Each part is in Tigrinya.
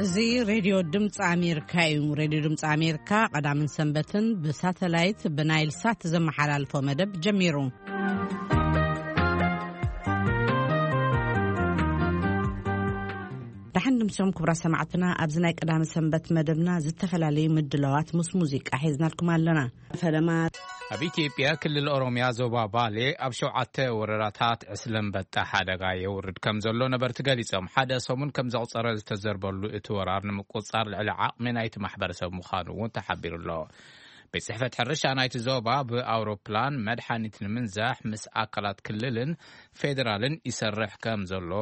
እዚ ሬድዮ ድምፂ ኣሜሪካ እዩ። ሬድዮ ድምፂ ኣሜሪካ ቀዳምን ሰንበትን ብሳተላይት ብናይል ሳት ዘመሓላልፎ መደብ ጀሚሩ። ደሓን ድምሶም ክቡራት ሰማዕትና፣ ኣብዚ ናይ ቀዳሚ ሰንበት መደብና ዝተፈላለዩ ምድላዋት ምስ ሙዚቃ ሒዝናልኩም ኣለና። ፈለማ ኣብ ኢትዮጵያ ክልል ኦሮምያ ዞባ ባሌ ኣብ ሸውዓተ ወረዳታት ዕስለ ኣንበጣ ሓደጋ የውርድ ከም ዘሎ ነበርቲ ገሊጾም። ሓደ ሰሙን ከም ዘቑጸረ ዝተዘርበሉ እቲ ወራር ንምቁጽጻር ልዕሊ ዓቕሚ ናይቲ ማሕበረሰብ ምዃኑ እውን ተሓቢሩ ኣሎ። ቤት ጽሕፈት ሕርሻ ናይቲ ዞባ ብኣውሮፕላን መድሓኒት ንምንዛሕ ምስ ኣካላት ክልልን ፌደራልን ይሰርሕ ከም ዘሎ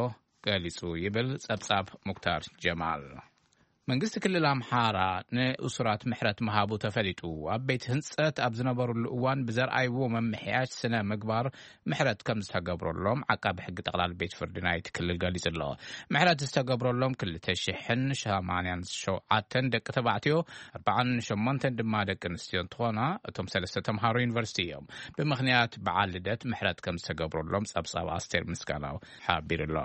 ገሊጹ ይብል ጸብጻብ ሙክታር ጀማል። መንግስቲ ክልል ኣምሓራ ንእሱራት ምሕረት ምሃቡ ተፈሊጡ። ኣብ ቤት ህንጸት ኣብ ዝነበሩሉ እዋን ብዘርኣይዎ መምሕያሽ ስነ ምግባር ምሕረት ከም ዝተገብረሎም ዓቃቢ ሕጊ ጠቕላሊ ቤት ፍርዲ ናይቲ ክልል ገሊጹ ኣሎ። ምሕረት ዝተገብረሎም ክልተ ሽሕን ሰማንያን ሸውዓተን ደቂ ተባዕትዮ፣ ኣርባዓን ሸሞንተን ድማ ደቂ ኣንስትዮ እንትኾና፣ እቶም ሰለስተ ተምሃሮ ዩኒቨርሲቲ እዮም። ብምኽንያት በዓል ልደት ምሕረት ከም ዝተገብረሎም ጸብጻብ ኣስቴር ምስጋናው ሓቢሩ ኣሎ።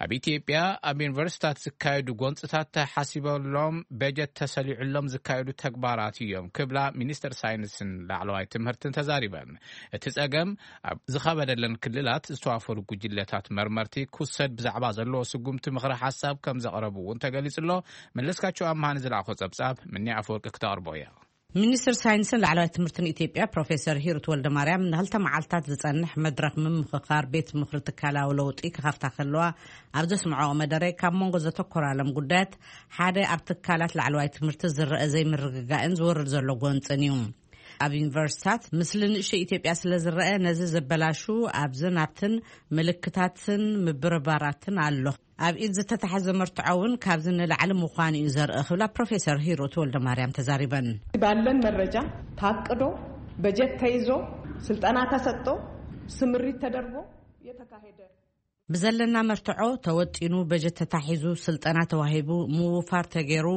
ኣብ ኢትዮጵያ ኣብ ዩኒቨርሲታት ዝካየዱ ጎንፅታት ተሓሲበሎም በጀት ተሰሊዑሎም ዝካየዱ ተግባራት እዮም ክብላ ሚኒስትር ሳይንስን ላዕለዋይ ትምህርትን ተዛሪበን። እቲ ጸገም ኣብ ዝኸበደለን ክልላት ዝተዋፈሩ ጉጅለታት መርመርቲ ክውሰድ ብዛዕባ ዘለዎ ስጉምቲ ምኽረ ሓሳብ ከም ዘቕረቡ እውን ተገሊጹ ኣሎ። መለስካቸው ኣምሃን ዝለኣኾ ጸብጻብ ምኒ ኣፈወርቂ ክተቕርቦ እያ። ሚኒስትር ሳይንስን ላዕለዋይ ትምህርትን ኢትዮጵያ ፕሮፌሰር ሂሩት ወልደማርያም ንክልተ መዓልታት ዝጸንሕ መድረኽ ምምኽኻር ቤት ምኽሪ ትካላዊ ለውጢ ክኸፍታ ከለዋ ኣብ ዘስምዐኦ መደረ፣ ካብ መንጎ ዘተኮራሎም ጉዳያት ሓደ ኣብ ትካላት ላዕለዋይ ትምህርቲ ዝረአ ዘይምርግጋእን ዝወርድ ዘሎ ጎንጽን እዩ። ኣብ ዩኒቨርሲታት ምስሊ ንእሽቶ ኢትዮጵያ ስለ ዝረአ፣ ነዚ ዘበላሹ ኣብዝን ኣብትን ምልክታትን ምብርባራትን ኣሎ። ኣብ ኢድ ዝተታሕዘ መርትዖ እውን ካብዚ ንላዕሊ ምዃኑ እዩ ዘርኢ ክብላ ፕሮፌሰር ሂሩት ወልደማርያም ተዛሪበን። ባለን መረጃ ታቅዶ፣ በጀት ተይዞ፣ ስልጠና ተሰጥቶ፣ ስምሪት ተደርጎ የተካሄደ። ብዘለና መርትዖ ተወጢኑ፣ በጀት ተታሒዙ፣ ስልጠና ተዋሂቡ፣ ምውፋር ተገይሩ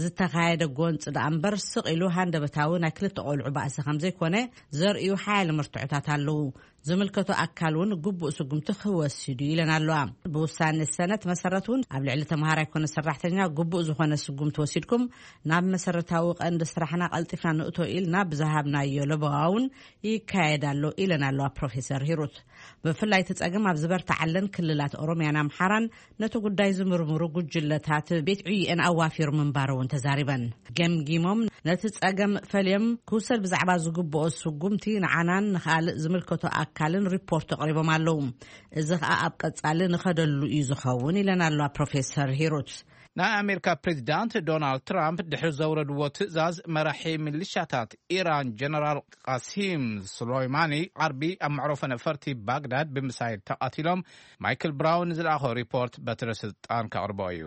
ዝተኻየደ ጎንፂ ደኣ እምበር፣ ስቕ ኢሉ ሃንደበታዊ ናይ ክልተ ቆልዑ ባእሲ ከም ዘይኮነ ዘርእዩ ሓያለ መርትዖታት ኣለዉ። ዝምልከቶ ኣካል እውን ግቡእ ስጉምቲ ክወስድ እዩ ኢለን ኣለዋ። ብውሳኔ ሰነት መሰረት እውን ኣብ ልዕሊ ተምሃራይ ኮነ ሰራሕተኛ ግቡእ ዝኾነ ስጉምቲ ወሲድኩም ናብ መሰረታዊ ቀንዲ ስራሕና ቀልጢፍና ንእቶ ኢልና ብዝሃብናዮ ለበዋ እውን ይካየድ ኣሎ ኢለን ኣለዋ ፕሮፌሰር ሂሩት። ብፍላይ እቲ ጸገም ኣብ ዝበርትዓለን ክልላት ኦሮምያን ኣምሓራን ነቲ ጉዳይ ዝምርምሩ ጉጅለታት ቤት ዕዩኤን ኣዋፊሩ ምንባሩ እውን ተዛሪበን። ገምጊሞም ነቲ ጸገም ፈልዮም ክውሰድ ብዛዕባ ዝግብኦ ስጉምቲ ንዓናን ንኻልእ ዝምልከቶ ኣካልን ሪፖርት ኣቕሪቦም ኣለዉ። እዚ ኸኣ ኣብ ቀጻሊ ንኸደሉ እዩ ዝኸውን ኢለን ኣለዋ ፕሮፌሰር ሂሩት። ናይ ኣሜሪካ ፕሬዚዳንት ዶናልድ ትራምፕ ድሕሪ ዘውረድዎ ትእዛዝ፣ መራሒ ሚሊሻታት ኢራን ጀነራል ቃሲም ሱሌይማኒ ዓርቢ ኣብ መዕረፎ ነፈርቲ ባግዳድ ብምሳይል ተቐቲሎም። ማይክል ብራውን ዝለኣኾ ሪፖርት በትረ ስልጣን ከቕርቦ እዩ።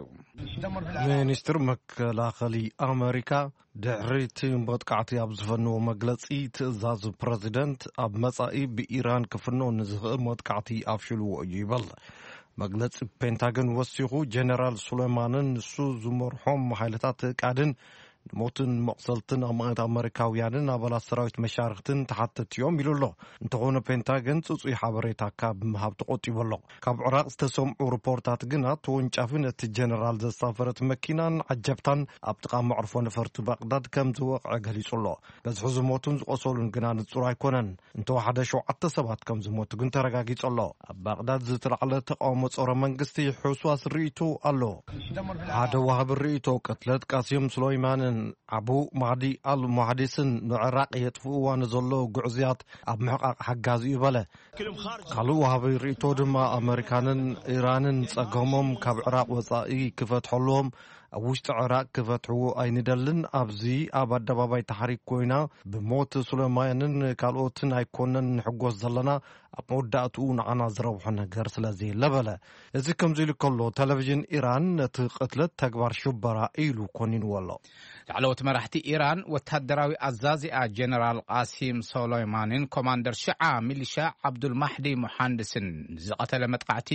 ሚኒስትር መከላኸሊ ኣሜሪካ ድሕሪ እቲ መጥቃዕቲ ኣብ ዝፈንዎ መግለጺ፣ ትእዛዝ ፕረዚደንት ኣብ መጻኢ ብኢራን ክፍኖ ንዝኽእል መጥቃዕቲ ኣፍሽልዎ እዩ ይበል። መግለጺ ፔንታገን ወሲኹ፣ ጀነራል ሱሌማንን ንሱ ዝመርሖም ሓይልታት ቃድን ንሞትን መቕሰልትን ኣማኢት ኣመሪካውያንን ኣባላት ሰራዊት መሻርክትን ተሓተቲ እዮም ኢሉ ኣሎ። እንተኾነ ፔንታገን ጽጹይ ሓበሬታ ካብ ምሃብ ተቖጢቡ ኣሎ። ካብ ዕራቕ ዝተሰምዑ ሪፖርታት ግና፣ ተወንጫፊ ነቲ ጀነራል ዘሳፈረት መኪናን ዓጀብታን ኣብ ጥቓ መዕርፎ ነፈርቲ ባቕዳድ ከም ዝወቕዐ ገሊጹ ኣሎ። በዝሒ ዝሞቱን ዝቖሰሉን ግና ንጹር ኣይኮነን። እንተወሓደ ሸውዓተ ሰባት ከም ዝሞቱ ግን ተረጋጊጹ ኣሎ። ኣብ ባቕዳድ ዝተላዕለ ተቃውሞ ጸረ መንግስቲ ሕውስዋስ ርእይቶ ኣሎ። ሓደ ወሃቢ ርእይቶ፣ ቅትለት ቃሲም ሱሌይማንን ዓቡ ማህዲ ኣል ሙሃዲስን ንዕራቕ የጥፍእዋ ንዘሎ ግዕዝያት ኣብ ምሕቃቕ ሓጋዚ እዩ በለ። ካልእ ወሃቢ ርእይቶ ድማ፣ ኣመሪካንን ኢራንን ጸገሞም ካብ ዕራቕ ወጻኢ ክፈትሐሉዎም፣ ኣብ ውሽጢ ዕራቕ ክፈትሕዎ ኣይንደልን። ኣብዚ ኣብ ኣደባባይ ታሕሪክ ኮይና ብሞት ሱሌማንን ካልኦትን ኣይኮነን ንሕጎስ ዘለና፣ ኣብ መወዳእትኡ ንዓና ዝረብሖ ነገር ስለ ዘየለ በለ። እዚ ከምዚ ኢሉ ከሎ፣ ቴሌቪዥን ኢራን ነቲ ቅትለት ተግባር ሽበራ ኢሉ ኮኒንዎ ኣሎ። ላዕለዎት መራሕቲ ኢራን፣ ወታደራዊ ኣዛዚኣ ጀነራል ቃሲም ሶሎይማንን ኮማንደር ሽዓ ሚሊሻ ዓብዱል ማሕዲ ሙሓንድስን ዝቐተለ መጥቃዕቲ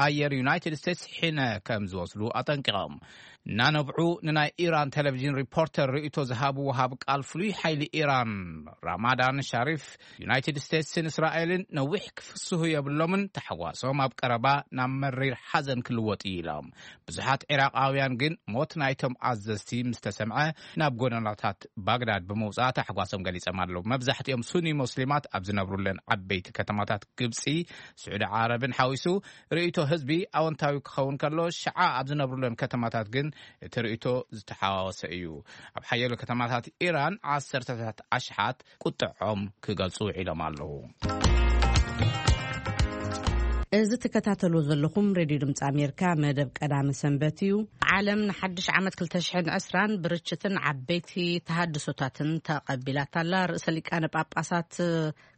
ኣየር ዩናይትድ ስቴትስ ሒነ ከም ዝወስዱ ኣጠንቂቖም። እናነብዑ ንናይ ኢራን ቴሌቪዥን ሪፖርተር ርእይቶ ዝሃቡ ወሃብ ቃል ፍሉይ ሓይሊ ኢራን ራማዳን ሻሪፍ፣ ዩናይትድ ስቴትስን እስራኤልን ነዊሕ ክፍስሁ የብሎምን፣ ተሓዋሶም ኣብ ቀረባ ናብ መሪር ሓዘን ክልወጥ እዩ ኢሎም። ብዙሓት ዒራቃውያን ግን ሞት ናይቶም ኣዘዝቲ ምስ ተሰምዐ ናብ ጎደናታት ባግዳድ ብምውጻእ ተሓጓሶም ገሊጾም ኣለዉ። መብዛሕትኦም ሱኒ ሙስሊማት ኣብ ዝነብሩለን ዓበይቲ ከተማታት ግብጺ፣ ስዑዲ ዓረብን ሓዊሱ ርእይቶ ህዝቢ ኣወንታዊ ክኸውን ከሎ፣ ሽዓ ኣብ ዝነብሩለን ከተማታት ግን እቲ ርእይቶ ዝተሓዋወሰ እዩ። ኣብ ሓያሎ ከተማታት ኢራን ዓሰርተታት ኣሽሓት ቁጥዖም ክገልጹ ውዒሎም ኣለዉ። እዚ ትከታተልዎ ዘለኹም ሬድዮ ድምፂ ኣሜሪካ መደብ ቀዳመ ሰንበት እዩ። ዓለም ንሓድሽ ዓመት ክልተ ሽሕን ዕስራን ብርችትን ዓበይቲ ተሃድሶታትን ተቐቢላታ ኣላ። ርእሰ ሊቃነ ጳጳሳት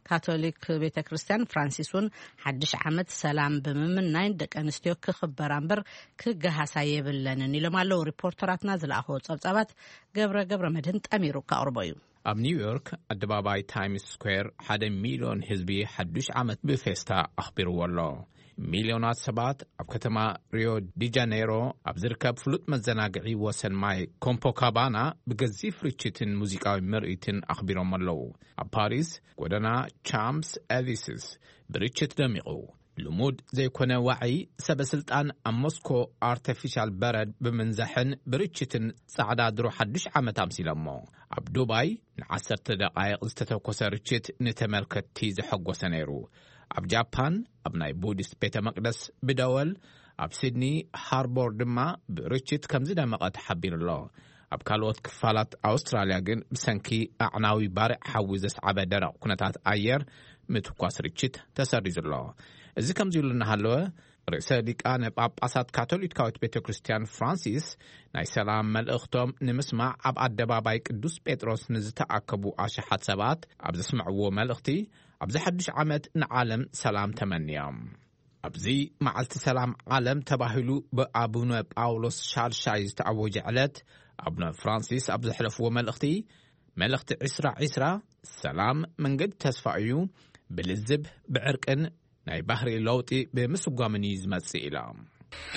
ካቶሊክ ቤተ ክርስቲያን ፍራንሲስ እውን ሓድሽ ዓመት ሰላም ብምምናይ ደቂ ኣንስትዮ ክኽበራ እምበር ክገሃሳ የብለንን ኢሎም ኣለዉ። ሪፖርተራትና ዝለኣኽዎ ጸብጻባት ገብረ ገብረ መድህን ጠሚሩ ከቕርቦ እዩ። ኣብ ኒውዮርክ ኣደባባይ ታይምስ ስኩዌር ሓደ ሚልዮን ህዝቢ ሓዱሽ ዓመት ብፌስታ ኣኽቢርዎ ኣሎ። ሚልዮናት ሰባት ኣብ ከተማ ሪዮ ዲ ጃኔሮ ኣብ ዝርከብ ፍሉጥ መዘናግዒ ወሰን ማይ ኮምፖካባና ብገዚፍ ርችትን ሙዚቃዊ ምርኢትን ኣኽቢሮም ኣለዉ። ኣብ ፓሪስ ጎደና ቻምፕስ ኤሊስስ ብርችት ደሚቑ። ልሙድ ዘይኮነ ዋዒ ሰበ ስልጣን ኣብ ሞስኮ ኣርተፊሻል በረድ ብምንዛሕን ብርችትን ጻዕዳ ድሮ ሓዱሽ ዓመት ኣምሲሎሞ። ኣብ ዱባይ ንዓሰርተ ደቓይቕ ዝተተኮሰ ርችት ንተመልከትቲ ዘሐጎሰ ነይሩ። ኣብ ጃፓን ኣብ ናይ ቡዲስት ቤተ መቅደስ ብደወል፣ ኣብ ሲድኒ ሃርቦር ድማ ብርችት ከም ዝደመቐ ተሓቢሩ ኣሎ። ኣብ ካልኦት ክፋላት ኣውስትራልያ ግን ብሰንኪ ኣዕናዊ ባርዕ ሓዊ ዘስዓበ ደረቕ ኩነታት ኣየር ምትኳስ ርችት ተሰሪዙ ኣሎ። እዚ ከምዚ ኢሉ እናሃለወ፣ ርእሰ ሊቃነ ጳጳሳት ካቶሊካዊት ቤተ ክርስቲያን ፍራንሲስ ናይ ሰላም መልእኽቶም ንምስማዕ ኣብ ኣደባባይ ቅዱስ ጴጥሮስ ንዝተኣከቡ ኣሽሓት ሰባት ኣብ ዘስምዕዎ መልእኽቲ፣ ኣብዚ ሓድሽ ዓመት ንዓለም ሰላም ተመንዮም። ኣብዚ መዓልቲ ሰላም ዓለም ተባሂሉ ብኣቡነ ጳውሎስ ሻልሻይ ዝተኣወጀ ዕለት፣ ኣቡነ ፍራንሲስ ኣብ ዘሕለፍዎ መልእኽቲ፣ መልእኽቲ ዕስራ ዕስራ፣ ሰላም መንገዲ ተስፋ እዩ፣ ብልዝብ፣ ብዕርቅን ናይ ባህሪ ለውጢ ብምስጓምን እዩ ዝመጽእ ኢሎም።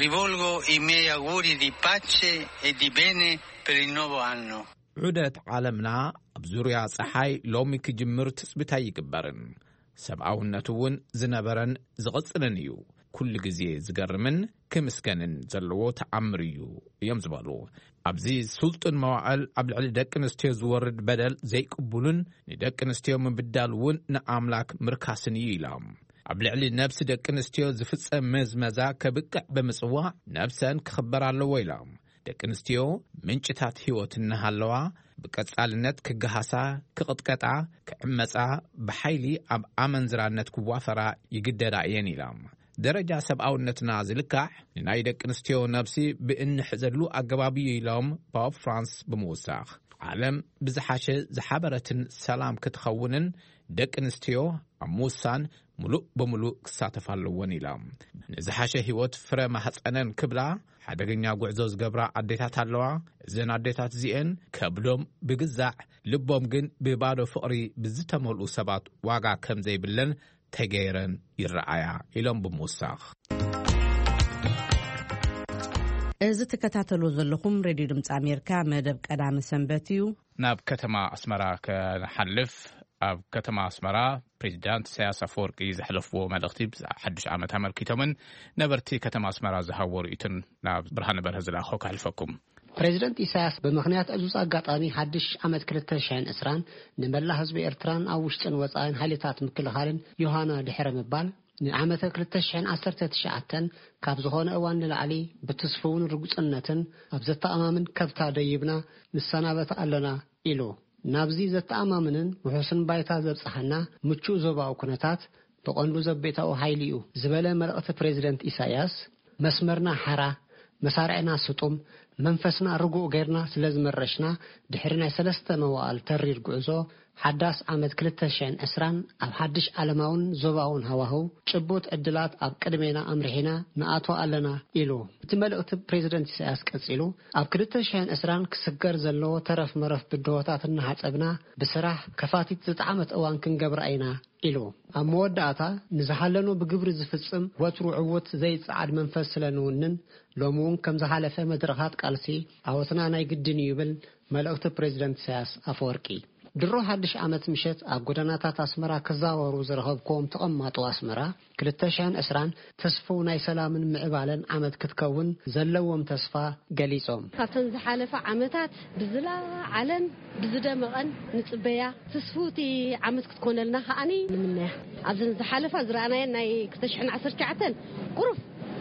Rivolgo i miei auguri di pace e di bene per il nuovo anno. ዑደት ዓለምና ኣብ ዙርያ ጸሓይ ሎሚ ክጅምር ትጽቢት ኣይግበርን። ሰብኣውነት እውን ዝነበረን ዝቕጽልን እዩ። ኩሉ ግዜ ዝገርምን ክምስገንን ዘለዎ ተኣምር እዩ እዮም ዝበሉ። ኣብዚ ስልጡን መዋእል ኣብ ልዕሊ ደቂ ኣንስትዮ ዝወርድ በደል ዘይቅቡልን ንደቂ ኣንስትዮ ምብዳል እውን ንኣምላክ ምርካስን እዩ ኢሎም። ኣብ ልዕሊ ነብሲ ደቂ ኣንስትዮ ዝፍጸም መዝመዛ ከብቅዕ ብምጽዋዕ ነብሰን ክኽበር ኣለዎ ኢሎም። ደቂ ኣንስትዮ ምንጭታት ህይወት እናሃለዋ ብቀጻልነት ክገሃሳ፣ ክቕጥቀጣ፣ ክዕመጻ፣ ብሓይሊ ኣብ ኣመንዝራነት ክዋፈራ ይግደዳ እየን ኢሎም። ደረጃ ሰብኣውነትና ዝልካዕ ንናይ ደቂ ኣንስትዮ ነብሲ ብእንሕዘሉ ኣገባብ እዩ ኢሎም ፖፕ ፍራንስ ብምውሳኽ፣ ዓለም ብዝሓሸ ዝሓበረትን ሰላም ክትኸውንን ደቂ ኣንስትዮ ኣብ ምውሳን ምሉእ ብምሉእ ክሳተፋ ኣለወን ኢሎም። ንዝሓሸ ህይወት ፍረ ማህፀነን ክብላ ሓደገኛ ጉዕዞ ዝገብራ ኣዴታት ኣለዋ። እዘን ኣዴታት እዚኤን ከብዶም ብግዛዕ ልቦም ግን ብባዶ ፍቕሪ ብዝተመልኡ ሰባት ዋጋ ከም ዘይብለን ተገይረን ይረኣያ ኢሎም ብምውሳኽ። እዚ ትከታተሉ ዘለኹም ሬድዮ ድምፂ ኣሜሪካ መደብ ቀዳሚ ሰንበት እዩ። ናብ ከተማ ኣስመራ ከንሓልፍ፣ ኣብ ከተማ ኣስመራ ፕሬዚዳንት ኢሳያስ ኣፈወርቂ ዘሕለፍዎ መልእኽቲ ብዛዕባ ሓዱሽ ዓመት ኣመልኪቶምን ነበርቲ ከተማ ኣስመራ ዝሃብዎ ርእይቶን ናብ ብርሃነ በርሀ ዝለኣኾ ከሕልፈኩም። ፕሬዚደንት ኢሳያስ ብምኽንያት ዕዙዝ ኣጋጣሚ ሓድሽ ዓመት ክልተ ሽሕን ዕስራን ንመላእ ህዝቢ ኤርትራን ኣብ ውሽጥን ወጻኢን ሓይልታት ምክልኻልን ዮሃና ድሕረ ምባል ንዓመተ ክልተ ሽሕን ዓሰርተ ትሽዓተን ካብ ዝኾነ እዋን ንላዕሊ ብትስፉውን ርጉጽነትን ኣብ ዘተኣማምን ከብታ ደይብና ንሰናበት ኣለና ኢሉ። ናብዚ ዘተኣማምንን ውሑስን ባይታ ዘብጽሓና ምቹእ ዞባዊ ኩነታት ብቐንዱ ዘቤታዊ ሓይሊ እዩ ዝበለ መልእኽቲ ፕሬዚደንት ኢሳያስ፣ መስመርና ሓራ፣ መሳርዕና ስጡም፣ መንፈስና ርጉእ ጌርና ስለ ዝመረሽና ድሕሪ ናይ ሰለስተ መዋእል ተሪር ጉዕዞ ሓዳስ ዓመት ክልተ ሽሕን ዕስራን ኣብ ሓድሽ ዓለማውን ዞባውን ሃዋህው ጭቡጥ ዕድላት ኣብ ቅድሜና ኣምሪሒና ንኣቶ ኣለና ኢሉ። እቲ መልእኽቲ ፕሬዚደንት ኢሳያስ ቀጺሉ፣ ኣብ ክልተ ሽሕን ዕስራን ክስገር ዘለዎ ተረፍ መረፍ ብድሆታት እናሓጸብና ብስራሕ ከፋቲት ዝጠዓመት እዋን ክንገብራ ኢና ኢሉ። ኣብ መወዳእታ ንዝሓለኖ ብግብሪ ዝፍጽም ወትሩ ዕውት ዘይጸዓድ መንፈስ ስለ ንውንን ሎሚ እውን ከም ዝሓለፈ መድረኻት ቃልሲ ዓወትና ናይ ግድን እዩ ይብል መልእኽቲ ፕሬዚደንት ኢሳያስ ኣፈወርቂ። ድሮ ሓድሽ ዓመት ምሸት ኣብ ጎደናታት ኣስመራ ክዛወሩ ዝረኸብክዎም ተቐማጦ ኣስመራ ክልተ ሽሕን ዕስራን ተስፍው ናይ ሰላምን ምዕባለን ዓመት ክትከውን ዘለዎም ተስፋ ገሊጾም። ካብተን ዝሓለፋ ዓመታት ብዝለዓለን ብዝደመቐን ንጽበያ ትስፉቲ ዓመት ክትኮነልና ከዓኒ ንምነያ። ኣብዘን ዝሓለፋ ዝረኣናየን ናይ ክልተ ሽሕን ዓሰርተ ትሽዓተን ቁሩፍ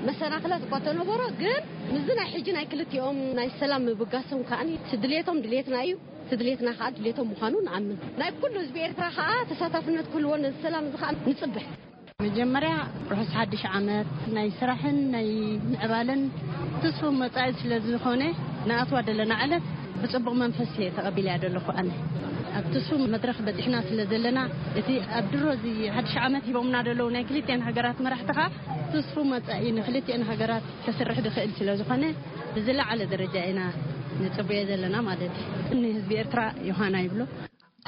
መሰናኽላት እኳ ተነበሮ፣ ግን ምስዚ ናይ ሕጂ ናይ ክልቲኦም ናይ ሰላም ምብጋሶም ከዓኒ እቲ ድሌቶም ድሌትና እዩ፣ እቲ ድሌትና ከዓ ድሌቶም ምዃኑ ንኣምን። ናይ ኩሉ ህዝቢ ኤርትራ ከዓ ተሳታፍነት ክህልዎ ነዚ ሰላም እዚ ከዓ ንጽበ። መጀመርያ ርሑስ ሓድሽ ዓመት ናይ ስራሕን ናይ ምዕባለን ትስፉ መጻኢ ስለ ዝኾነ ንኣትዋ ዘለና ዕለት ብጽቡቕ መንፈስ እየ ተቐቢለያ ዘለኹ። ኣነ ኣብ ትስፉ መድረኽ በጺሕና ስለ ዘለና እቲ ኣብ ድሮ እዚ ሓድሽ ዓመት ሂቦምና ዘለዉ ናይ ክልቲኣን ሃገራት መራሕቲ ከዓ ትስፉ መጻኢ ንክልቲኣን ሃገራት ከስርሕ ዝኽእል ስለ ዝኾነ ብዝለዓለ ደረጃ ኢና ንጽበዮ ዘለና ማለት እዩ። ንህዝቢ ኤርትራ ዮሃና ይብሎ።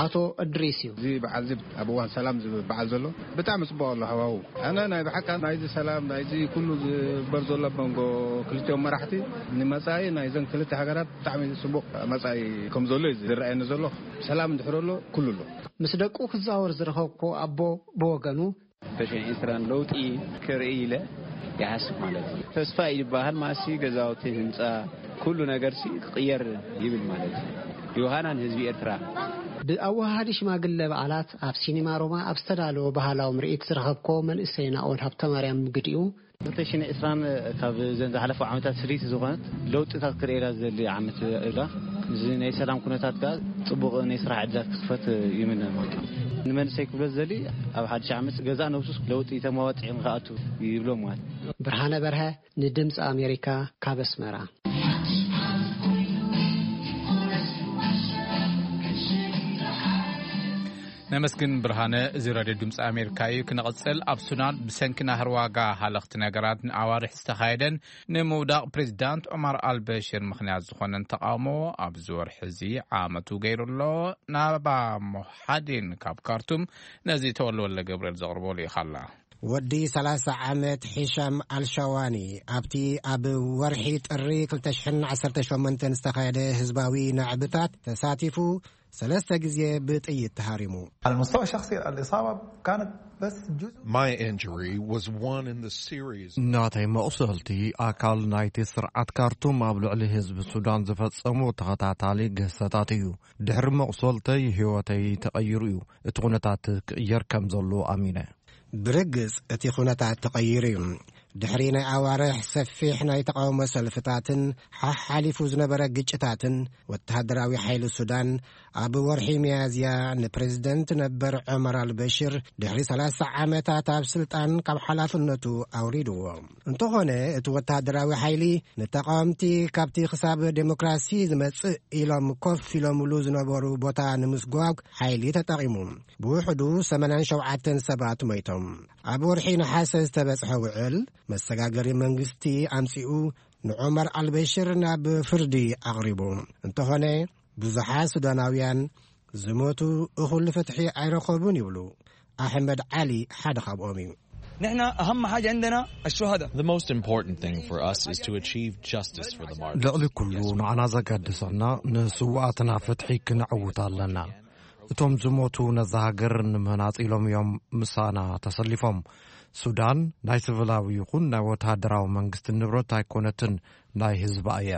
ኣቶ እድሪስ እዩ። እዚ በዓል እዚ ኣብ እዋን ሰላም ዝብል በዓል ዘሎ ብጣዕሚ ጽቡቕ ኣሎ ሃዋሁ። ኣነ ናይ ብሓቃ ናይዚ ሰላም ናይዚ ኩሉ ዝግበር ዘሎ ኣብ መንጎ ክልቲኦም መራሕቲ ንመጻኢ ናይዘን ክልተ ሃገራት ብጣዕሚ ጽቡቕ መጻኢ ከም ዘሎ እዩ ዝረኣየኒ ዘሎ። ሰላም እንድሕር ኣሎ ኩሉ ኣሎ። ምስ ደቁ ክዛወር ዝረኸብኩ ኣቦ ብወገኑ፣ ተሽዒ ዕስራን ለውጢ ክርኢ ኢለ ይሓስብ ማለት እዩ። ተስፋ እዩ ዝበሃል ማሲ ገዛውቲ ህንጻ ኩሉ ነገርሲ ክቕየር ይብል ማለት እዩ። ዮሃና ንህዝቢ ኤርትራ። ብኣወሃሃዲ ሽማግለ በዓላት ኣብ ሲኒማ ሮማ ኣብ ዝተዳለወ ባህላዊ ምርኢት ዝረኸብኮ መንእሰይ ናኦል ሃብተማርያም ምግዲኡ፣ ክልተ ሽሕን ዕስራን ካብ ዘን ዝሓለፉ ዓመታት ስሪት ዝኾነት ለውጥታት ክርእየላ ዝደሊ ዓመት እላ። እዚ ናይ ሰላም ኩነታት ከኣ ጽቡቕ ናይ ስራሕ ዕድላት ክኽፈት ይምነ። ንመንእሰይ ክብሎ ዝደሊ ኣብ ሓድሽ ዓመት ገዛ ነብሱስ ለውጢ ተመዋጽዒ ንክኣቱ ይብሎ ማለት። ብርሃነ በርሀ ንድምፂ ኣሜሪካ ካብ ኣስመራ። ነመስግን ብርሃነ። እዚ ራድዮ ድምፂ ኣሜሪካ እዩ። ክነቐጽል፣ ኣብ ሱዳን ብሰንኪ ናህሪ ዋጋ ሃለኽቲ ነገራት ንኣዋርሕ ዝተኻየደን ንምውዳቕ ፕሬዚዳንት ዑማር ኣልበሽር ምኽንያት ዝኾነን ተቓውሞ ኣብዚ ወርሒ እዚ ዓመቱ ገይሩ ኣሎ። ናባ ሞሓዲን ካብ ካርቱም ነዚ ተወልወለ ገብርኤል ዘቕርቦ ልኢኻላ። ወዲ ሰላሳ ዓመት ሒሻም ኣልሻዋኒ ኣብቲ ኣብ ወርሒ ጥሪ ክልተ ሽሕን ዓሰርተ ሸሞንተን ዝተኻየደ ህዝባዊ ናዕብታት ተሳቲፉ ሰለስተ ግዜ ብጥይት ተሃሪሙ። على المستوى الشخصي الإصابة كانت بس جزء. My injury was one in the series. ናተይ መቑሰልቲ ኣካል ናይቲ ስርዓት ካርቱም ኣብ ልዕሊ ህዝቢ ሱዳን ዝፈጸሙ ተኸታታሊ ግህሰታት እዩ። ድሕሪ መቑሰልተይ ህይወተይ ተቐይሩ እዩ። እቲ ኩነታት ክቕየር ከም ዘሎ ኣሚነ። ብርግጽ እቲ ኩነታት ተቐይሩ እዩ። ድሕሪ ናይ ኣዋርሕ ሰፊሕ ናይ ተቓውሞ ሰልፍታትን ሓሓሊፉ ዝነበረ ግጭታትን፣ ወተሃደራዊ ሓይሊ ሱዳን ኣብ ወርሒ ሚያዝያ ንፕሬዝደንት ነበር ዑመር ኣልበሽር ድሕሪ ሰላሳ ዓመታት ኣብ ስልጣን ካብ ሓላፍነቱ ኣውሪድዎ። እንተኾነ እቲ ወተሃደራዊ ሓይሊ ንተቓወምቲ ካብቲ ክሳብ ዴሞክራሲ ዝመጽእ ኢሎም ኮፍ ኢሎምሉ ዝነበሩ ቦታ ንምስጓግ ሓይሊ ተጠቒሙ። ብውሕዱ ሰማንያን ሸውዓተን ሰባት ሞይቶም። ኣብ ወርሒ ነሓሰ ዝተበጽሐ ውዕል መሰጋገሪ መንግስቲ ኣምጺኡ ንዑመር ኣልበሽር ናብ ፍርዲ ኣቕሪቡ። እንተኾነ ብዙሓት ሱዳናውያን ዝሞቱ እኹል ፍትሒ ኣይረኸቡን ይብሉ። ኣሕመድ ዓሊ ሓደ ካብኦም እዩ። نحن أهم حاجة عندنا الشهداء. The most important thing for us is to achieve justice for the martyrs. ልዕሊ ኩሉ ንዓና ዘገድሰና ንስውኣትና ፍትሒ ክነዕውት ኣለና። እቶም ዝሞቱ ነዛ ሃገር ንምህናጽ ኢሎም እዮም ምሳና ተሰሊፎም። ሱዳን ናይ ስቪላዊ ይኹን ናይ ወተሃደራዊ መንግስቲ ንብረት ኣይኮነትን፣ ናይ ህዝባ እያ።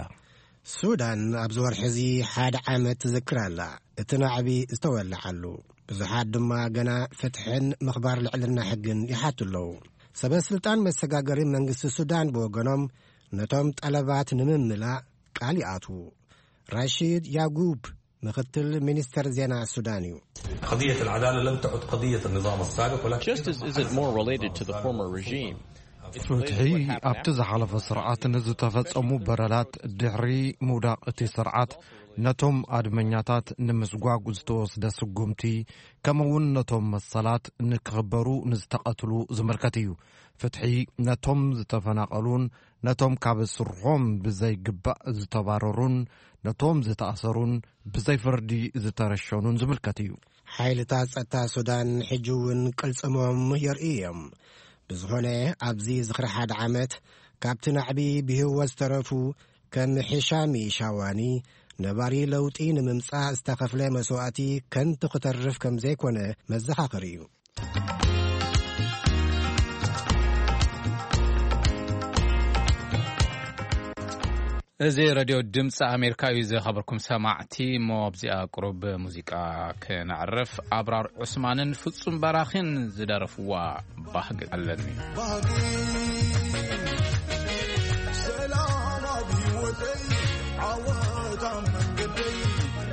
ሱዳን ኣብዚ ወርሒ እዚ ሓደ ዓመት ትዝክር ኣላ። እቲ ናዕቢ ዝተወልዓሉ፣ ብዙሓት ድማ ገና ፍትሕን ምኽባር ልዕልና ሕግን ይሓቱ ኣለዉ። ሰበ ስልጣን መሰጋገሪ መንግስቲ ሱዳን ብወገኖም ነቶም ጠለባት ንምምላእ ቃል ይኣትዉ። ራሺድ ያጉብ ምኽትል ሚኒስተር ዜና ሱዳን እዩ። قضية العدالة لم تعد قضية النظام السابق، ولكن Justice isn't more related to the former regime. It's related to ፍትሒ what happened ኣብቲ after. ዝሓለፈ ስርዓት ንዝተፈጸሙ በደላት ድሕሪ ምውዳቕ እቲ ስርዓት ነቶም ኣድመኛታት ንምስጓግ ዝተወስደ ስጉምቲ፣ ከምኡውን ነቶም መሰላት ንክኽበሩ ንዝተቐትሉ ዝምልከት እዩ። ፍትሒ ነቶም ዝተፈናቐሉን ነቶም ካብ ስርሖም ብዘይግባእ ዝተባረሩን ነቶም ዝተኣሰሩን ብዘይ ፍርዲ ዝተረሸኑን ዝምልከት እዩ። ሓይልታት ጸጥታ ሱዳን ሕጂ እውን ቅልጽሞም የርእዩ እዮም። ብዝኾነ፣ ኣብዚ ዝኽሪ ሓደ ዓመት ካብቲ ናዕቢ ብህይወት ዝተረፉ ከም ሒሻሚ ሻዋኒ፣ ነባሪ ለውጢ ንምምጻእ ዝተኸፍለ መስዋእቲ ከንቱ ክተርፍ ከም ዘይኮነ መዘኻኸሪ እዩ። እዚ ሬድዮ ድምፂ ኣሜሪካ እዩ። ዝኸበርኩም ሰማዕቲ፣ እሞ ኣብዚኣ ቁሩብ ሙዚቃ ክነዕርፍ። ኣብራር ዑስማንን ፍጹም በራኺን ዝደረፍዋ ባህጊ ኣለኒ። ባህጊ ሰላም ኣብ ህይወተይ፣ ዓወት ኣብ መንገደይ፣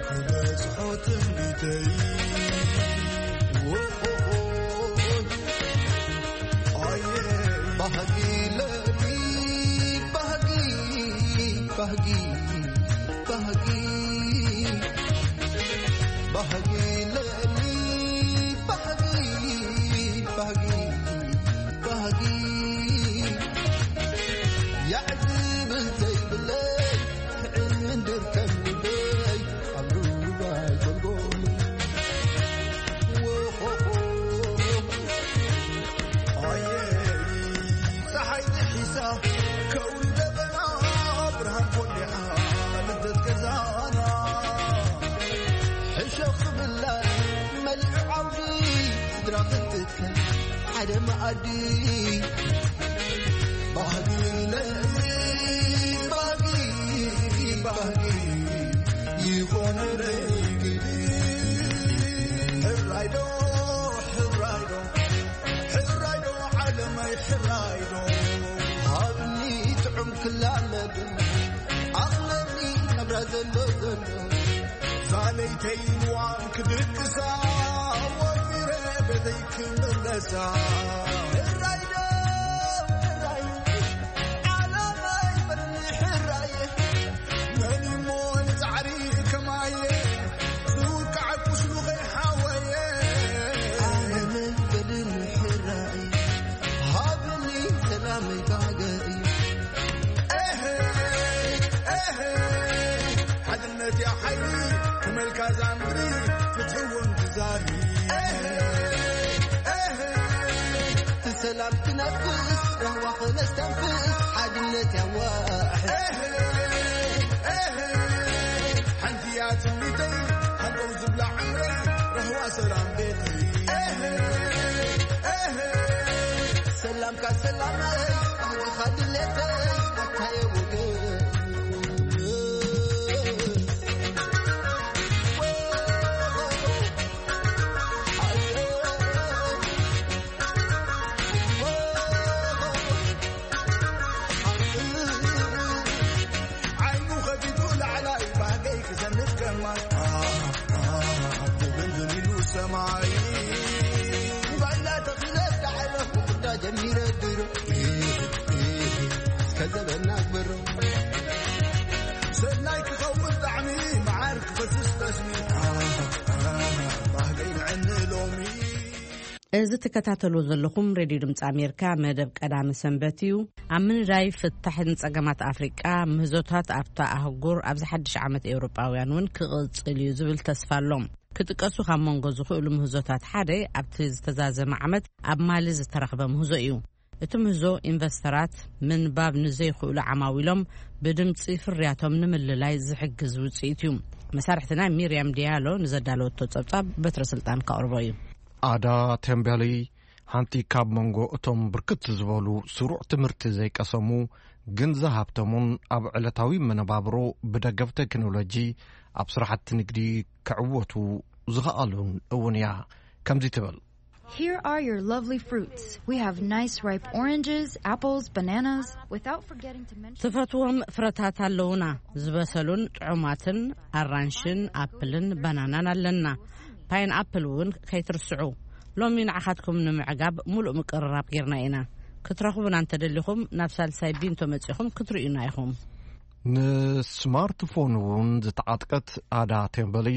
ክበጽሖ ትምኒተይ። ዎሆሆ። ኣየ ባህጊ ለኒ፣ ባህጊ፣ ባህጊ፣ ባህጊ፣ ባህጊ ለኒ፣ ባህጊ፣ ባህጊ፣ ባህጊ። ያዕዝብል ዘይብለይ፣ ትዕንድር ከም ልበይ፣ ኣብ ሩባይ ጎልጎል። ዎሆሆ። ኣየ፣ ጸሓይ ጥሒሳ፣ ከውሊ ደበና፣ ብርሃን ኮሊዓ፣ ልደት ገዛና። ሕሸኽ ክብላ፣ መሊዑ ዓውዲ፣ ስድራ ክትትከል፣ ሓደ መኣዲ። ባህጊ ለኒ፣ ባህጊ፣ ባህጊ፣ ይኾነ ለይግዲ። ሕራይ ዶ፣ ሕራይ ዶ፣ ሕራይ ዶ ዓለመይ ሕራይ ዶ፣ ሃብኒ ጥዑም ክላመድ፣ ኣኽለኒ ናብራ ዘሎ ዘሎ። ዛለይተይ ንዋም ክድቅሳ፣ ወፊረ ቤተይ ክምለሳ። ሕራይ ዶ፣ ሕራይ፣ ዓለመይ በልኒ ሕራይ። መን እሞ ንጻዕሪ ከማየ፣ ዝውቃዕ ቁስሉ ከይሓወየ። ኣነ በልን ሕራይ፣ ሃብኒ ሰላመይ ባህገይ። ኤሄ፣ ኤሄ፣ ሓድነት ያ ሓይሊ፣ ክመልካ ዛምሪ፣ ፍትሒ እውን ትዛሪ። ኤሄ፣ ኤሄ፣ ሰላም ትነፍስ፣ ራህዋ ክነስተንፍስ፣ ሓድነት ያዋሕስ። ሓንቲ እያ ትምኒተይ፣ ሃንቀው ዝብላ ዕምረይ፣ ራህዋ ሰላም ቤተይ። ሰላምካ ሰላመይ፣ ባህግኻ ድሌተይ፣ ኣታየ ወገን። ዓይኑ ኸፊቱ ላዕላይ ባህገይ ክሰንፍ ከማይ። ድብልብል ኢሉ ሰማይ። ባይላ ተኺለ ዳዕረ ክዳ ጀሚረ ድሮ። ከዘበና ግበሮ። ሰናይ ክኸውን ጣዕሚ መዓር ክፈስስ ጠስሚ። ባህገይ ንዕኒ ሎሚ። እዚ ትከታተልዎ ዘለኹም ሬድዮ ድምፂ ኣሜሪካ መደብ ቀዳሚ ሰንበት እዩ። ኣብ ምንዳይ ፍታሕ ንጸገማት ኣፍሪቃ ምህዞታት ኣብታ ኣህጉር ኣብዚ ሓድሽ ዓመት ኤውሮጳውያን እውን ክቕጽል እዩ ዝብል ተስፋ ኣሎ። ክጥቀሱ ካብ መንጎ ዝኽእሉ ምህዞታት ሓደ ኣብቲ ዝተዛዘመ ዓመት ኣብ ማሊ ዝተረኽበ ምህዞ እዩ። እቲ ምህዞ ኢንቨስተራት ምንባብ ንዘይኽእሉ ዓማዊሎም ብድምፂ ፍርያቶም ንምልላይ ዝሕግዝ ውፅኢት እዩ። መሳርሕትና ሚርያም ዲያሎ ንዘዳለወቶ ጸብጻብ በትረ ስልጣን ከቕርቦ እዩ። ኣዳ ቴምቤሊ ሓንቲ ካብ መንጎ እቶም ብርክት ዝበሉ ስሩዕ ትምህርቲ ዘይቀሰሙ ግን ዝሃብተሙን ኣብ ዕለታዊ መነባብሮ ብደገፍ ቴክኖሎጂ ኣብ ስራሕቲ ንግዲ ክዕወቱ ዝኸኣሉን እውን እያ። ከምዚ ትብል። Here are your lovely fruits. We have nice ripe oranges, apples, bananas, without forgetting to mention ትፈትዎም ፍረታት ኣለውና፣ ዝበሰሉን ጥዑማትን ኣራንሽን ኣፕልን ባናናን ኣለና። ፓይን ኣፕል እውን ከይትርስዑ። ሎሚ ንዓኻትኩም ንምዕጋብ ሙሉእ ምቅርራብ ጌርና ኢና። ክትረኽቡና እንተደሊኹም ናብ ሳልሳይ ቢንቶ መጺኹም ክትርእዩና ኢኹም። ንስማርትፎን እውን ዝተዓጥቀት ኣዳ ቴምበሊ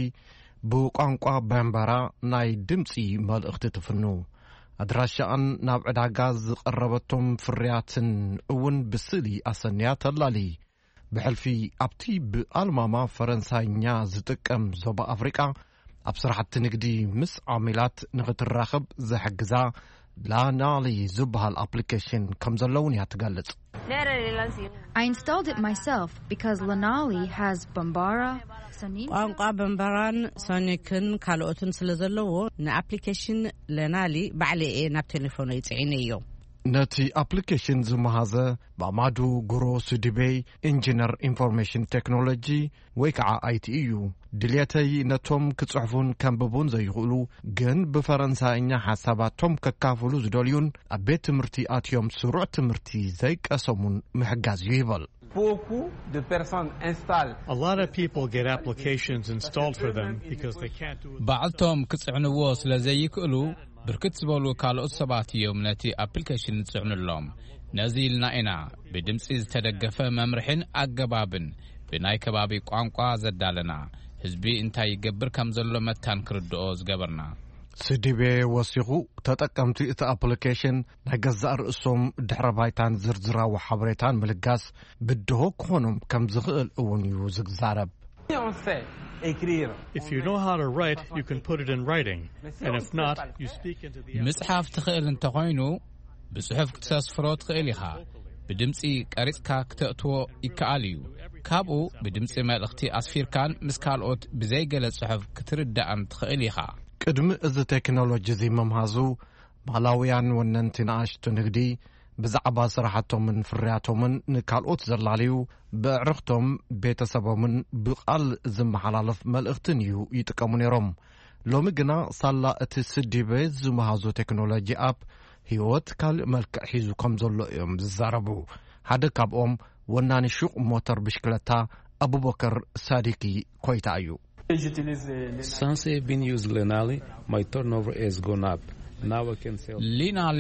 ብቋንቋ በምበራ ናይ ድምፂ መልእኽቲ ትፍኑ። ኣድራሻኣን ናብ ዕዳጋ ዝቐረበቶም ፍርያትን እውን ብስእሊ ኣሰንያ ተላሊ። ብሕልፊ ኣብቲ ብኣልማማ ፈረንሳይኛ ዝጥቀም ዞባ ኣፍሪቃ፣ ኣብ ስራሕቲ ንግዲ ምስ ዓሚላት ንኽትራኸብ ዝሕግዛ ላናሊ ዝበሃል ኣፕሊኬሽን ከም ዘለውን እያ ትገልጽ። I installed it myself because Lanali has Bambara, Sanin. ቋንቋ በምበራን ሶኒክን ካልኦትን ስለ ዘለዎ ንኣፕሊኬሽን ለናሊ ባዕለ እየ ናብ ቴሌፎነይ ጽዒነዮ። ነቲ ኣፕሊኬሽን ዝመሃዘ ማማዱ ጉሮ ስዲቤይ፣ ኢንጂነር ኢንፎርሜሽን ቴክኖሎጂ ወይ ከዓ ኣይቲ እዩ። ድልየተይ ነቶም ክጽሕፉን ከንብቡን ዘይኽእሉ ግን ብፈረንሳይኛ ሓሳባቶም ከካፍሉ ዝደልዩን ኣብ ቤት ትምህርቲ ኣትዮም ስሩዕ ትምህርቲ ዘይቀሰሙን ምሕጋዝ እዩ ይበል። Beaucoup de personnes installent. A lot of people get applications installed for them because they can't do it. ባዕልቶም ክጽዕንዎ ስለ ዘይክእሉ፣ ብርክት ዝበሉ ካልኦት ሰባት እዮም ነቲ ኣፕሊኬሽን ዝጽዕኑሎም። ነዚ ኢልና ኢና ብድምጺ ዝተደገፈ መምርሕን ኣገባብን ብናይ ከባቢ ቋንቋ ዘዳለና፣ ህዝቢ እንታይ ይገብር ከም ዘሎ መታን ክርድኦ ዝገበርና። ስዲቤ ወሲኹ፣ ተጠቀምቲ እቲ ኣፕሊኬሽን ናይ ገዛእ ርእሶም ድሕረ ባይታን ዝርዝራዊ ሓበሬታን ምልጋስ ብድሆ ክኾኖም ከም ዝኽእል እውን እዩ ዝዛረብ። Si on sait écrire, If you know how to write, you can put it in writing. And if not, you speak into the ምጽሓፍ ትኽእል እንተኾይኑ፣ ብጽሑፍ ክተስፍሮ ትኽእል ኢኻ። ብድምጺ ቀሪጽካ ክተእትዎ ይከኣል እዩ። ካብኡ ብድምጺ መልእኽቲ ኣስፊርካን ምስ ካልኦት ብዘይገለ ጽሑፍ ክትርዳእን ትኽእል ኢኻ። ቅድሚ እዚ ቴክኖሎጂ እዚ ምምሃዙ፣ ማላውያን ወነንቲ ንኣሽቱ ንግዲ ብዛዕባ ስራሕቶምን ፍርያቶምን ንካልኦት ዘላልዩ፣ ብዕርኽቶም፣ ቤተሰቦምን ብቓል ዝመሓላለፍ መልእኽትን እዩ ይጥቀሙ ነይሮም። ሎሚ ግና ሳላ እቲ ስዲበ ዝመሃዞ ቴክኖሎጂ ኣፕ፣ ህይወት ካልእ መልክዕ ሒዙ ከም ዘሎ እዮም ዝዛረቡ። ሓደ ካብኦም ወናኒ ሹቕ ሞተር ብሽክለታ ኣቡበከር ሳዲቂ ኮይታ እዩ። Since I've been using Lenali, my turnover has gone up. Now I can sell. ሊናሊ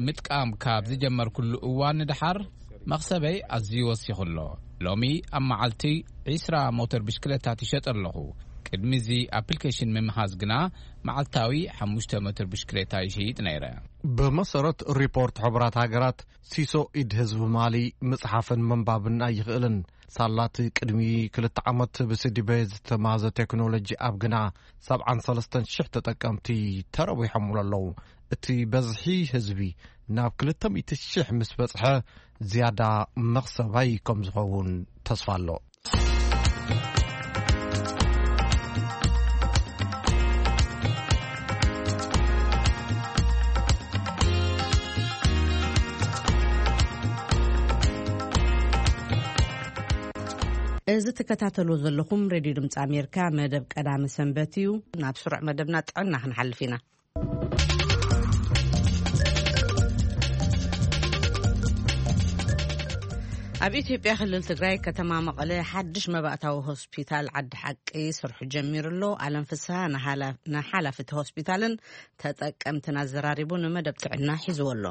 ምጥቃም ካብ ዝጀመርኩሉ እዋን ንድሓር መኽሰበይ ኣዝዩ ወሲኹ ኣሎ። ሎሚ ኣብ መዓልቲ ዒስራ ሞተር ብሽክለታ ትሸጥ ኣለኹ። ቅድሚ እዚ ኣፕሊኬሽን ምምሃዝ ግና መዓልታዊ ሓሙሽተ ሞተር ብሽክለታ ይሸይጥ ነይረ። ብመሰረት ሪፖርት ሕቡራት ሃገራት፣ ሲሶ ኢድ ህዝቢ ማሊ ምጽሓፍን ምንባብን ኣይኽእልን። ሳላቲ ቅድሚ ክልተ ዓመት ብስዲበ ዝተማዘ ቴክኖሎጂ ኣብ ግና ሰብዓን ሰለስተን ሽሕ ተጠቀምቲ ተረዊሖምሉ ኣለዉ። እቲ በዝሒ ህዝቢ ናብ ክልተ ሚእቲ ሽሕ ምስ በጽሐ፣ ዝያዳ መኽሰባይ ከም ዝኸውን ተስፋ ኣሎ። እዚ ትከታተሉ ዘለኹም ሬድዮ ድምፂ ኣሜሪካ መደብ ቀዳሚ ሰንበት እዩ። ናብ ስሩዕ መደብና ጥዕና ክንሓልፍ ኢና። ኣብ ኢትዮጵያ ክልል ትግራይ ከተማ መቐለ ሓድሽ መባእታዊ ሆስፒታል ዓዲ ሓቂ ስርሑ ጀሚሩ ኣሎ። ኣለም ፍስሃ ንሓላ-፣ ንሓላፊ እቲ ሆስፒታልን ተጠቀምትን ኣዘራሪቡ ንመደብ ጥዕና ሒዝዎ ኣሎ።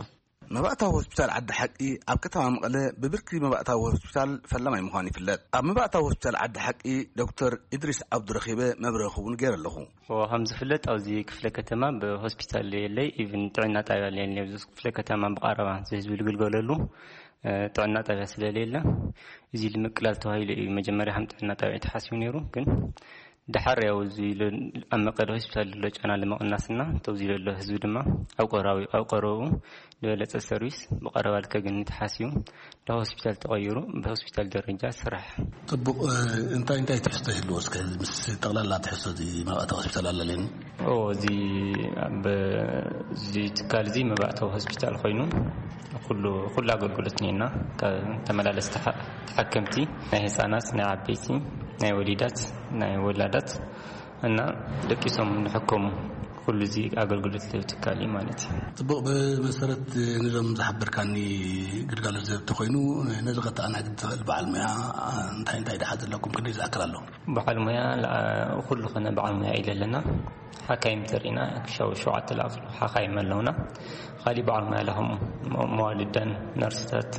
መባእታዊ ሆስፒታል ዓዲ ሓቂ ኣብ ከተማ መቐለ ብብርኪ መባእታዊ ሆስፒታል ፈላማይ ምዃኑ ይፍለጥ። ኣብ መባእታዊ ሆስፒታል ዓዲ ሓቂ ዶክተር ኢድሪስ ዓብዱ ረኺበ መብርሂ ክውን ገይረ ኣለኹ። ከምዚ ዝፍለጥ ኣብዚ ክፍለ ከተማ ብሆስፒታል የለይ፣ ኢቭን ጥዕና ጣብያ የለይ። ኣብዚ ክፍለ ከተማ ብቐረባ ህዝቢ ዝግልገለሉ፣ እ፣ ጥዕና ጣብያ ስለሌለ፣ እዚ ንምቅላል ተባሂሉ እዩ መጀመርያ ከም ጥዕና ጣብያ ተሓሲቡ ነይሩ። ግን ደሓር ያው እዚ ለ-፣ ኣብ መቐለ ሆስፒታል ዘሎ ጫና ንምቕናስና፣ ተው እዚ ዘሎ ህዝቢ ድማ ኣብ ቀራዊ-፣ ኣብ ቀረብኡ ዝበለጸ ሰርቪስ ብቐረባ ልከግኒ ተሓሲቡ፣ ናብ ሆስፒታል ተቐይሩ፣ ብሆስፒታል ደረጃ ስራሕ። ጽቡቕ፣ እ፣ እንታይ እንታይ ትሕዝቶ ይህልዎ? እስከ ምስ ጠቕላላ ትሕዝቶ እዚ መባእታዊ ሆስፒታል ኣለለኒ? ኦ፣ እዚ ኣብ፣ እዚ ትካል እዚ መባእታዊ ሆስፒታል ኮይኑ፣ ኩሉ፣ ኩሉ ኣገልግሎት እኒኤና። ካብ ተመላለስቲ ተሓ-፣ ተሓከምቲ፣ ናይ ህፃናት፣ ናይ ዓበይቲ፣ ናይ ወሊዳት፣ ናይ ወላዳት እና ደቂሶም ንሕከሙ፣ ኩሉ እዚ ኣገልግሎት ዝህብ ትካል እዩ ማለት እዩ። ጽቡቕ፣ ብመሰረት ነዞም ዝሓበርካኒ ግልጋሎት ዝህብ ተኾይኑ፣ ነዚ ከተኣናግድ ትኽእል በዓል ሞያ እንታይ እንታይ ደሓ ዘለኩም ክንደይ ዝኣክል ኣሎ? በዓል ሞያ፣ ላ-፣ ኩሉ ኾነ በዓል ሞያ ኢለ ኣለና። ሓካይም ተሪእና፣ ክሻው ሸውዓተ ለኣኽሉ ሓካይም ኣለውና። ካሊእ በዓል ሞያ ለኸም መ-፣ መዋልዳን ነርስታት፣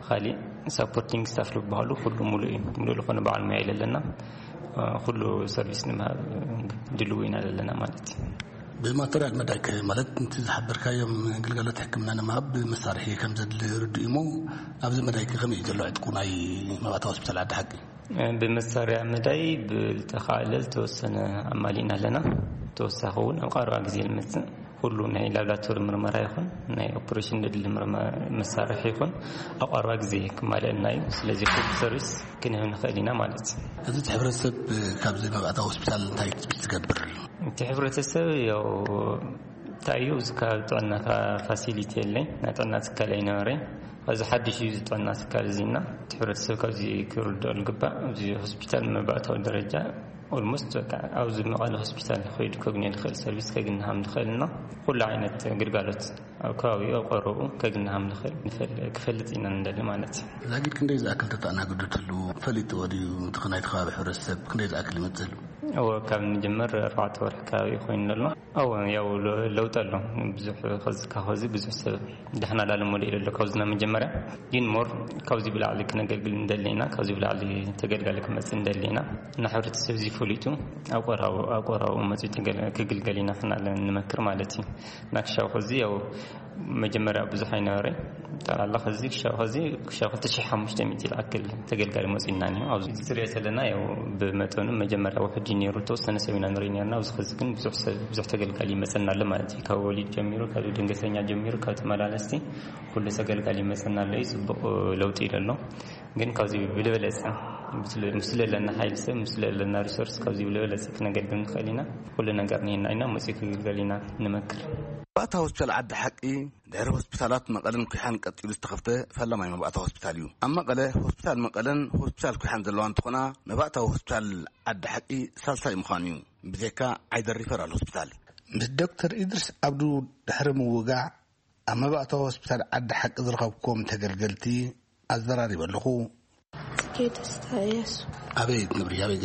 ካሊእ ሳፖርቲንግ ስታፍ ዝበሃሉ ኩሉ ሙሉእ እዩ። ሙሉእ ዝኾነ በዓል ሞያ ኣለና። ኩሉ ሰርቪስ ንምሃብ ድልው ኢና ዘለና ማለት እዩ። ብማተርያል መዳይ ከ ማለት ነቲ ዝሓበርካዮም ግልጋሎት ሕክምና ንምሃብ መሳርሒ ከም ዘድሊ ርዱእ እሞ ኣብዚ መዳይ ከ ከመይ እዩ ዘሎ ዕጥቁ ናይ መባእታ ሆስፒታል ዓዲ ሓቂ? ብመሳርያ መዳይ ብልተኻእለ ዝተወሰነ ኣማሊእና ኣለና። ተወሳኺ እውን ኣብ ቀረባ ግዜ ልመፅእ ኩሉ ናይ ላብራቶሪ ምርመራ ይኹን ናይ ኦፕሬሽን ዘድሊ መሳርሒ ይኹን ኣብ ቀረባ ግዜ ክማልአልና እዩ። ስለዚ ኩሉ ሰርቪስ ክንህብ ንኽእል ኢና ማለት እዩ። እዚ እቲ ሕብረተሰብ ካብዚ መባእታ ሆስፒታል እንታይ ትገብር? እቲ ሕብረተሰብ ያው እንታይ እዩ እዚ ካብ ጥዕና ፋሲሊቲ የለኝ ናይ ጥዕና ትካል ኣይነበረኝ። እዚ ሓድሽ እዩ እዚ ጥዕና ትካል እዚና እቲ ሕብረተሰብ ካብዚ ክርድኦ ልግባእ። እዚ ሆስፒታል መባእታዊ ደረጃ ኦልሞስት በቃ ኣብዚ መቐለ ሆስፒታል ከይዱ ከግንዮ ዝኽእል ሰርቪስ ከግንሃም ንኽእል እና ኩሉ ዓይነት ግልጋሎት ኣብ ከባቢኡ ኣብ ቀረቡ ከግንሃም ንኽእል ክፈልጥ ኢና ንደሊ ማለት እዩ። ዛጊድ ክንደይ ዝኣክል ተተኣናግዱ ትህልዉ ፈሊጥዎ ድዩ? እቲ ናይቲ ከባቢ ሕብረተሰብ ክንደይ ዝኣክል ይመፅእ ህልው? እወ ካብ ንጀመር ኣርባዕተ ወርሒ ከባቢ ኮይኑ ኣሎ። እወ ያው ለውጢ ኣሎ። ብዙሕ ከዚ ካብ ከዚ ብዙሕ ሰብ ዳሕና ላለ ሞዴል ኣሎ ካብዚ ናብ መጀመርያ ግን ሞር ካብዚ ብላዕሊ ክነገልግል እንደለና ካብዚ ብላዕሊ ተገልጋሊ ክመፅእ እንደለና እና ሕብረተሰብ እዚ ፈሊጡ ኣብ ቆራቡ ኣብ ቆራቡ መፅኡ ክግልገል ኢና ክናለ ንመክር ማለት እዩ። እና ክሻው ከዚ ያው መጀመርያ ብዙሕ ኣይነበረ ጠላላ ከዚ ክሻው ከዚ ክሻው ክልተ ሺሕ ሓሙሽተ ሚእቲ ዝኣክል ተገልጋሊ መፅእና ኒ ኣብዚ ዝርዮ ዘለና ያው ብመጠኑ መጀመርያ ውሕድ ነሩ ተወሰነ ሰብ ኢና ንርኢ ነርና ኣብዚ ከዚ ግን ብዙሕ ሰብ ብዙሕ ተገልጋሊ ይመፀና ኣሎ ማለት እዩ። ካብ ወሊድ ጀሚሩ ካብ ድንገተኛ ጀሚሩ ካብ ተመላለስቲ ኩሉ ተገልጋሊ ይመፀና ኣሎ እዩ። ፅቡቅ ለውጢ ኢለ ኣሎ። ግን ካብዚ ብልበለፀ ምስ ለለና ሓይል ሰብ ምስ ለለና ሪሶርስ ካብዚ ብልበለፀ ክነገልግል ንኽእል ኢና። ኩሉ ነገር ንሄና ኢና መፅኡ ክግልገል ኢና ንመክር። ባእታ ሆስፒታል ዓዲ ሓቂ ድሕሪ ሆስፒታላት መቐለን ኩሓን ቀጢሉ ዝተኸፍተ ፈላማይ መባእታ ሆስፒታል እዩ። ኣብ መቐለ ሆስፒታል መቐለን ሆስፒታል ኩሓን ዘለዋ እንትኾና መባእታዊ ሆስፒታል ዓዲ ሓቂ ሳልሳይ ምዃኑ እዩ። ብዘካ ዓይደር ሪፈራል ሆስፒታል ምስ ዶክተር ኢድሪስ ኣብዱ ድሕሪ ምውጋዕ ኣብ መባእታዊ ሆስፒታል ዓዲ ሓቂ ዝረኸብኩዎም ተገልገልቲ ኣዘራሪበ ኣለኹ። ጽጌ ደስታ እያሱ። ኣበይ ትነብሪ? ኣበይ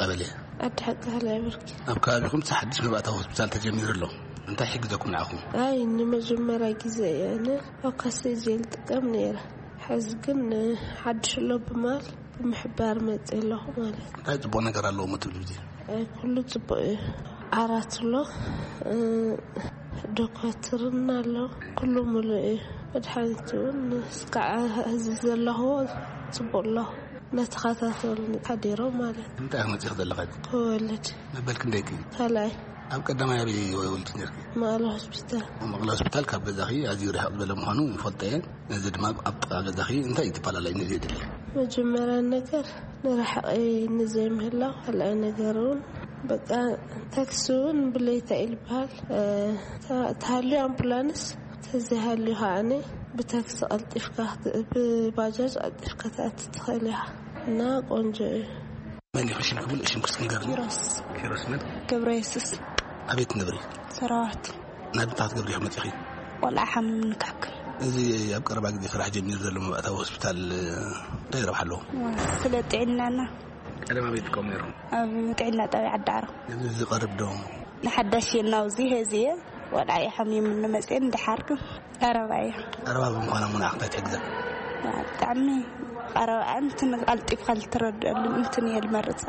ቀበሌ? ዓዲ ሓቂ ካልኣይ ብርኪ። ኣብ ከባቢኹም እቲ ሓድሽ መባእታዊ ሆስፒታል ተጀሚሩ ኣሎ። እንታይ ይሕግዘኩም ንዓኹም? ኣይ ንመጀመርያ ግዜ እየ ኣነ ኣብ ካሴ እየ ዝጥቀም ነይረ። ሕዚ ግን ሓድሽ ኣሎ ብማል ብምሕባር መፅእ ኣለኹ ማለት እዩ። እንታይ ፅቡቕ ነገር ኣለዎም ትብሉ ግዜ? ኣይ ኩሉ ፅቡቕ እዩ። ዓራት ኣሎ፣ ዶኳትርና ኣሎ፣ ኩሉ ሙሉእ እዩ። መድሓኒት እውን እስካዕ ሕዚ ዘለኽዎ ፅቡቕ ኣሎ። እናተኸታተሉ ሓዲሮም ማለት እዩ። እንታይ መፂኹ ዘለኻ? ክወልድ። መበል ክንደይክ? ካልኣይ። ኣብ ቀዳማይ ኣበይ ወልድ ነርክ? መቐለ ሆስፒታል። መቐለ ሆስፒታል ካብ ገዛኺ ኣዝዩ ርሕቕ ዝበለ ምዃኑ ይፈልጦ እየ። ነዚ ድማ ኣብ ጥቓ ገዛኺ እንታይ እዩ ተፈላለዩ ነዚ የድሊ? መጀመርያ ነገር ንርሕቂ ንዘይምህላው፣ ካልኣይ ነገር እውን በቃ ታክሲ እውን ብለይታ እዩ ዝበሃል። ተሃልዩ ኣምቡላንስ ተዘይሃልዩ ከዓኒ ብታክሲ ቀልጢፍካ ብባጃጅ ቀልጢፍካ ትኣቲ ትኽእል ኢኻ። እና ቆንጆ እዩ። መን ኢኺ ሽምኪ? ሙሉእ ሽምኪ እስኪ ንገርኒ። ኪሮስ። ኪሮስ መን? ገብረ የሱስ። ኣበይ ትነብሪ? ሰራዋት። ናብ እንታይ ክትገብሪ ኢኺ መፂኺ? ቆልዓ ሓሚሙ ንክሕክም። እዚ ኣብ ቀረባ ግዜ ስራሕ ጀሚሩ ዘሎ መባእታዊ ሆስፒታል እንታይ ረብሓ ኣለዎ? ስለ ጥዕናና። ቀደም ኣበይ ትጥቀሙ ነይሮም? ኣብ ጥዕና ጣብያ ዓዲ ዓሮ። እዚ ዝቐርብ ዶ? ንሓዳሽ እየ ናውዚ ሄዚ እየ። ቆልዓ እየ ሓሚሙ ንመፅእን ድሓር ግን ቀረባ እየ። ቀረባ ብምዃና እሞ ንዓኽ እንታይ ትሕግዘ? ብጣዕሚ ቀረባ እንትን ቀልጢፍካ ልትረድአሉ እንትን እየ ልመርፃ።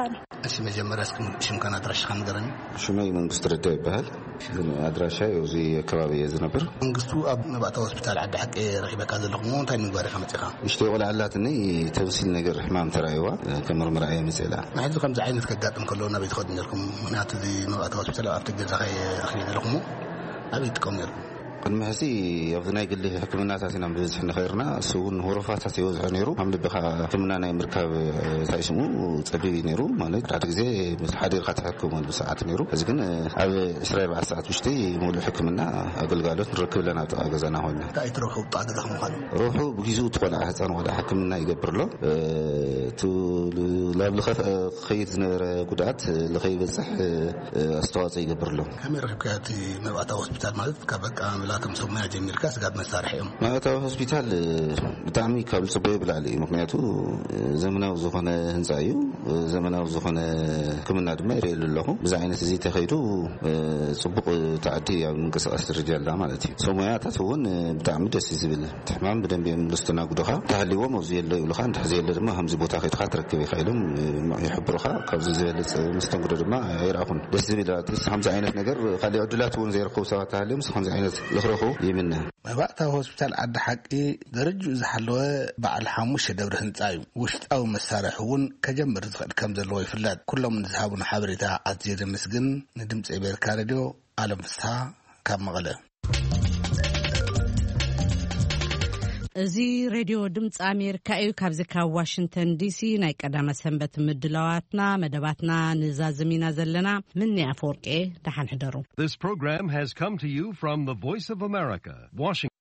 እሺ መጀመርያ እስኪ ሽምካን ኣድራሻኻን ንገረኒ። ሽመይ መንግስቱ ረዳ ይበሃል። ግን ኣድራሻ እዚ ከባቢ እየ ዝነብር። መንግስቱ ኣብ መባእታ ሆስፒታል ዓዲ ሓቂ ረኺበካ ዘለኹ እሞ እንታይ ንምግባር ኢኻ መፂኻ? ንእሽተይ ቆልዓ ኣላትኒ ተምሲል ነገር ሕማም ተራእይዋ ከመርምራ እየ መፅእ ኢላ። ንሕዚ ከምዚ ዓይነት ከጋጥም ከሎ ናበይ ትኸዱ ነርኩም? ምክንያቱ እዚ መባእታ ሆስፒታል ኣብ ኣፍቲ ገዛኻ እየ ረኺበ ዘለኹ እሞ ኣበይ ትጥቀሙ ነርኩም? ቅድሚ ሕዚ ኣብዚ ናይ ግሊ ሕክምናታት ኢና ብብዝሒ ንኸይርና እሱ እውን ወረፋታት ይበዝሖ ነይሩ። ከም ልብኻ ሕክምና ናይ ምርካብ እንታይ ስሙ ጸቢብ እዩ ነይሩ። ማለት ሓደ ግዜ ምስ ሓዲርካ ትሕክም እውን ብሰዓት ነይሩ። እዚ ግን ኣብ ዕስራ ኣርባዕተ ሰዓት ውሽጢ ሙሉእ ሕክምና ኣገልጋሎት ንረክብ ኣለና ኣብ ጥቓ ገዛና ኮይና። እንታይ ትረኽቡ ኣብ ጥቓ ገዛኹም ምዃኑ? ረብሑ ብግዚኡ እቲ ቆልዓ ህፃን ቆልዓ ሕክምና ይገብር ኣሎ። እቲ ናብ ልኸ ክኸይድ ዝነበረ ጉድኣት ልኸይበፅሕ ኣስተዋፅኦ ይገብር ኣሎ። ከመይ ረኺብካዮ እቲ መብኣታ ሆስፒታል ማለት ካብ በቃ ከም ሰብ ሞያ ጀሚርካ ስጋብ መሳርሒ እዮም። ማእታዊ ሆስፒታል ብጣዕሚ ካብ ዝፅበዮ ብላዕሊ እዩ። ምክንያቱ ዘመናዊ ዝኾነ ህንፃ እዩ። ዘመናዊ ዝኾነ ሕክምና ድማ ይርእየሉ ኣለኹ። ብዚ ዓይነት እዚ ተኸይዱ ፅቡቕ ታዕዲ ኣብ ምንቅስቃስ ደረጃ ኣላ ማለት እዩ። ሰብ ሞያታት እውን ብጣዕሚ ደስ እዩ ዝብል። እቲ ሕማም ብደንብ እዮም ዝስተናግዱኻ። እንተሃልዎም ኣብዚ የሎ ይብሉኻ፣ እንድሕር ዘየለ ድማ ከምዚ ቦታ ከይድካ ትረክብ ኢኻ ኢሎም ይሕብሩኻ። ካብዚ ዝበልፅ መስተንግዶ ድማ ኣይረኣኹን። ደስ ዝብል ኣትሊስት ከምዚ ዓይነት ነገር ካልእ ዕድላት እውን ዘይረከቡ ሰባት ተሃልዮም ከምዚ ዓይነት ዝኽረኹ ይምነ። መባእታዊ ሆስፒታል ዓዲ ሓቂ ደረጅኡ ዝሓለወ በዓል ሓሙሽተ ደብሪ ህንፃ እዩ። ውሽጣዊ መሳርሒ እውን ከጀምር ዝኽእል ከም ዘለዎ ይፍለጥ። ኩሎም ንዝሃቡን ሓበሬታ ኣዝየ ዘመስግን። ንድምፂ ኣሜሪካ ሬድዮ ኣለም ፍስሓ ካብ መቐለ። እዚ ሬድዮ ድምፂ ኣሜሪካ እዩ። ካብዚ ካብ ዋሽንግተን ዲሲ ናይ ቀዳመ ሰንበት ምድላዋትና መደባትና ንዛዝም ኢና ዘለና። ምኒ ኣፈወርቄ፣ ደሓን ሕደሩ። This program has come to you from the Voice of America, Washington.